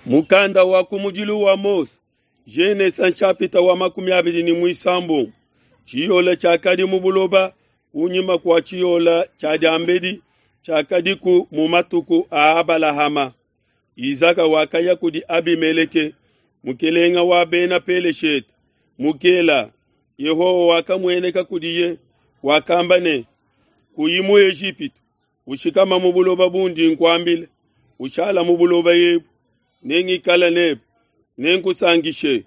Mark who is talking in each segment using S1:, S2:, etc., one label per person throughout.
S1: Mukanda wa kumudilu wa Mose, Genesa nshapita wa 23. Tshiyola tshiakadi mu buloba kunyima kua tshiyola tshia diambedi tshiakadiku mu matuku a Abalahama. Izaka wakaya kudi Abimeleke, mukelenga wa bena Peleshete, mu Gela. Yehowa wakamueneka kudiye, wakamba ne, Kuyi mu Ejipitu, ushikama mu buloba bundi nkuambila, ushala mu buloba ebu, nengikale nebe, nenkusankishe,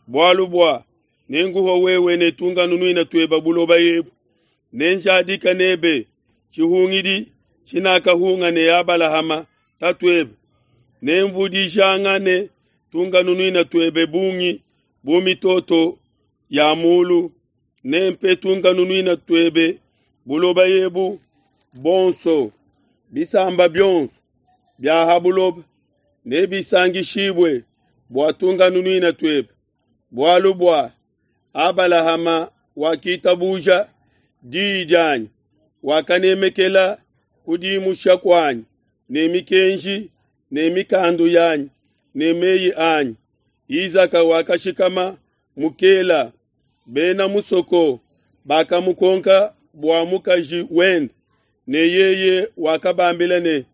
S1: bualu bua nenkuhe wewe ne tunkanunuina tuebe buloba ebu, nenjadike nebe tshihungidi tshinakahunga ne Abalahama tatuebe, nenvudijangane tunkanunuina tuebe bungi bu mitoto ya mulu, nempe tunkanunuina tuebe buloba ebu bonso, bisamba bionso bia ha buloba nebisangishibue bua tunkanunuina tuebe, bualu bua Abalahama wakitabuja diyi dianyi, wakanemekela kudimusha kuanyi ne mikenji ne mikandu yanyi ne meyi anyi. Izaka wakashikama mu Kela. Bena musoko bakamukonka bua mukaji wende, ne yeye wakabambila ne,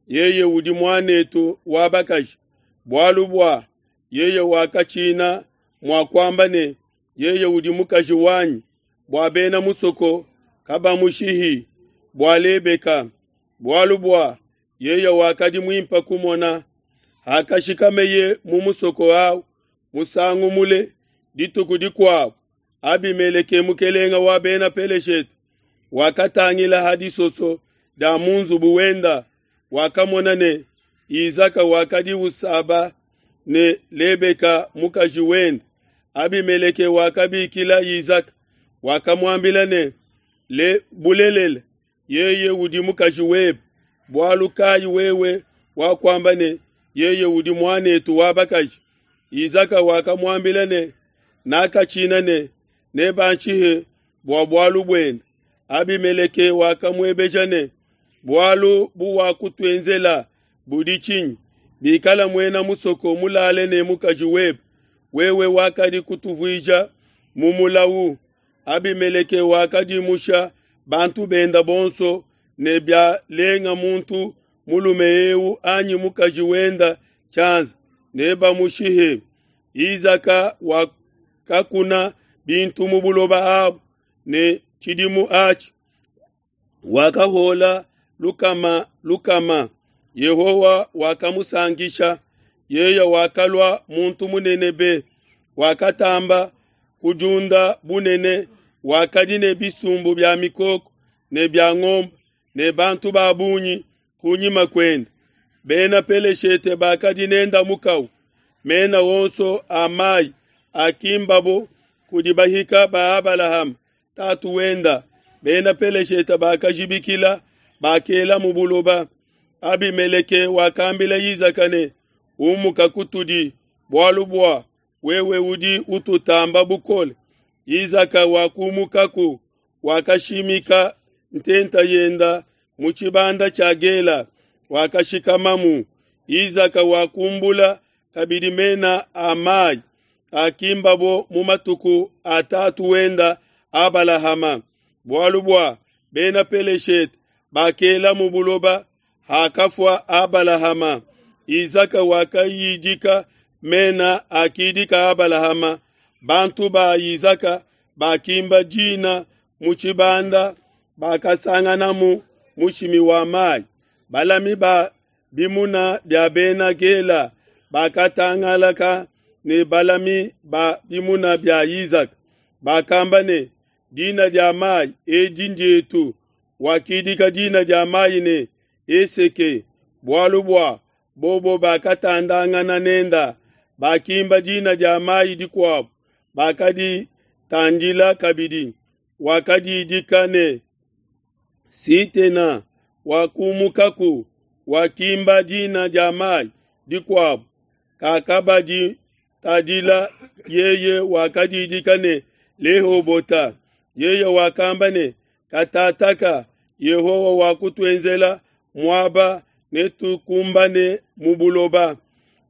S1: Yeye udi muanetu wa bakaji, bualu bua yeye wakatshina mua kuamba ne, Yeye udi mukaji wanyi, bua bena musoko kabamushihi bua Lebeka, bualu bua yeye wakadi muimpe kumona. Hakashikameye mu musoko au musangu mule, dituku dikuabo Abimeleke mukelenge wa bena Peleshete wakatangila ha disoso dia mu nzubu wenda, wakamona ne Izaka wakadi usaba ne Lebeka mukaji wende. Abimeleke wakabikila Izaka, wakamuambila ne, Le bulelela, yeye udi mukaji webe, bualu kayi wewe wakuamba ne, Yeye udi muanetu wa bakaji? Izaka wakamuambila ne, Nakatshina ne nebanshihe bua bualu buende. Abimeleke wakamuebeja ne, Bualu buwakutuenzela budi tshinyi? Bikala muena musoko mulale ne mukaji webe, wewe wakadi kutuvuija mu mulawu. Abimeleke wakadimusha bantu benda bonso ne bialenga muntu mulume eu anyi mukaji wenda tshianza, nebamushihe. Izaka wakakuna bintu mu buloba abu, ne tshidimu atshi wakahola lukama lukama. Yehowa wakamusankisha, yeye wakalua muntu munene be, wakatamba kudiunda bunene, wakadi ne bisumbu bia mikoko ne bia ngombe ne bantu ba bungi kunyima kuende. Bena Peleshete bakadi nenda mukau, mena onso a mai akimbabo kudi bahika ba Abalahama tatu wenda. Bena Peleshete bakajibikila, bakela mu buloba. Abimeleke wakambila Izaka ne, Umuka kutudi, bualu bua wewe udi ututamba bukole. Izaka wakumukaku, wakashimika ntenta yenda mu tshibanda tshia Gela, wakashikamamu. Izaka wakumbula kabidi mena a mai akimbabo mu matuku a tatu wenda Abalahama, bualu bua bena Peleshete bakela mu buloba hakafua Abalahama. Izaka wakayidika mena akidika Abalahama. Bantu ba Izaka bakimba dina mu tshibanda, bakasanganamu mushimi wa mai. Balami ba bimuna bia bena Gela bakatangalaka ne balami ba bimuna bia Izaka, bakamba ne, Dina dia mai edi ndietu. Wakidika dina dia mai ne, Eseke, bualu bua bobo bakatandangana nenda. Bakimba dina dia mai dikuabo, bakaditandila kabidi. Wakadidika ne, Sitena. Wakumukaku, wakimba dina dia mai dikuabo, kakabaditadila yeye wakadidika ne, Lehobota. Yeye wakamba ne, Katataka Yehowa wakutuenzela muaba, netukumbane mu buloba.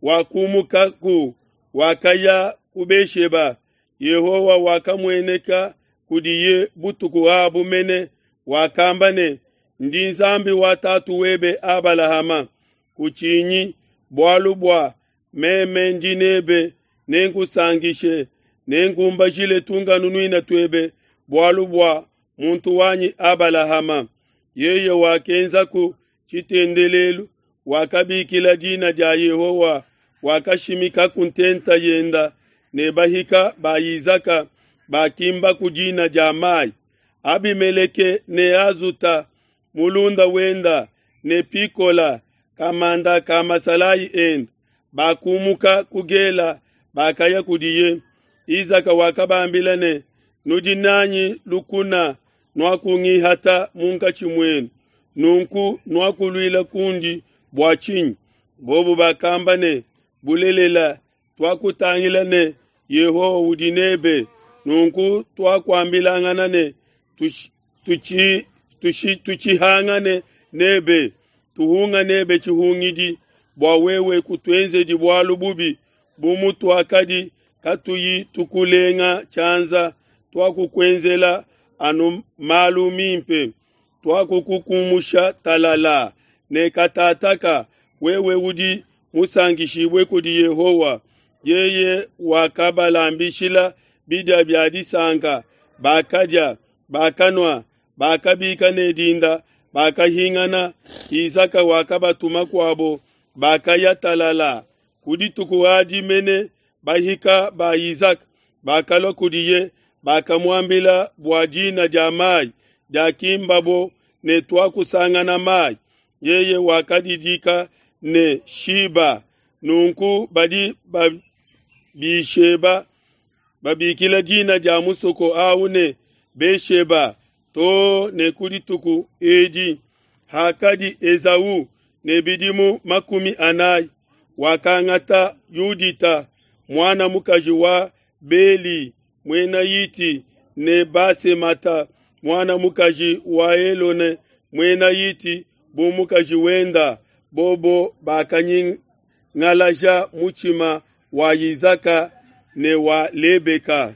S1: Wakumukaku, wakaya ku Besheba. Yehowa wakamueneka kudiye butuku abu mene, wakamba ne, Ndi Nzambi wa tatu webe Abalahama, kutshinyi, bualu bua meme ndi nebe, nenkusankishe, nenkumbajile tunkanunuina tuebe bualu bua muntu wanyi Abalahama. Yeye wakenzaku tshitendelelu, wakabikila dina dia Yehowa, wakashimikaku ntenta yenda, ne bahika ba Izaka bakimbaku dina dia mai. Abimeleke ne Azuta mulunda wenda ne Pikola kamanda ka masalayi ende bakumuka ku Gela, bakaya kudiye. Izaka wakabambila ne, Nudi nanyi lukuna, nuakungihata munkatshi muenu, nunku nuakuluila kundi bua tshinyi? Bobo bakamba ne, Bulelela, tuakutangila ne, Yehowa udi nebe, nunku tuakuambilangana ne, Tushihangane nebe, tuhunga nebe tshihungidi, bua wewe kutuenzedi bualu bubi bu mutuakadi katuyi tukulenga tshianza, tuakukuenzela anu malu mimpe, tuakukukumusha talala ne katataka, wewe udi musankishibue kudi Yehowa. Yeye wakabalambishila bidia bia disanka, bakadia, bakanua, bakabika ne dinda, bakahingana. Izaka wakabatuma kuabo, bakaya talala. Ku dituku adi mene bahika ba Izaka bakalua kudiye, bakamuambila bua dina dia mai diakimbabo ne tuakusangana mai. Yeye wakadidika ne Shiba. Nunku badi babisheba babikila dina dia musoko au ne Besheba to ne ku dituku edi. Hakadi Esau ne bidimu 40, wakangata Yudita muana mukaji wa Beli muena Hiti ne Basemata muana mukaji wa Elone muena Hiti bu mukaji wenda. Bobo bakanyingalaja mutshima wa Izaka ne wa Lebeka.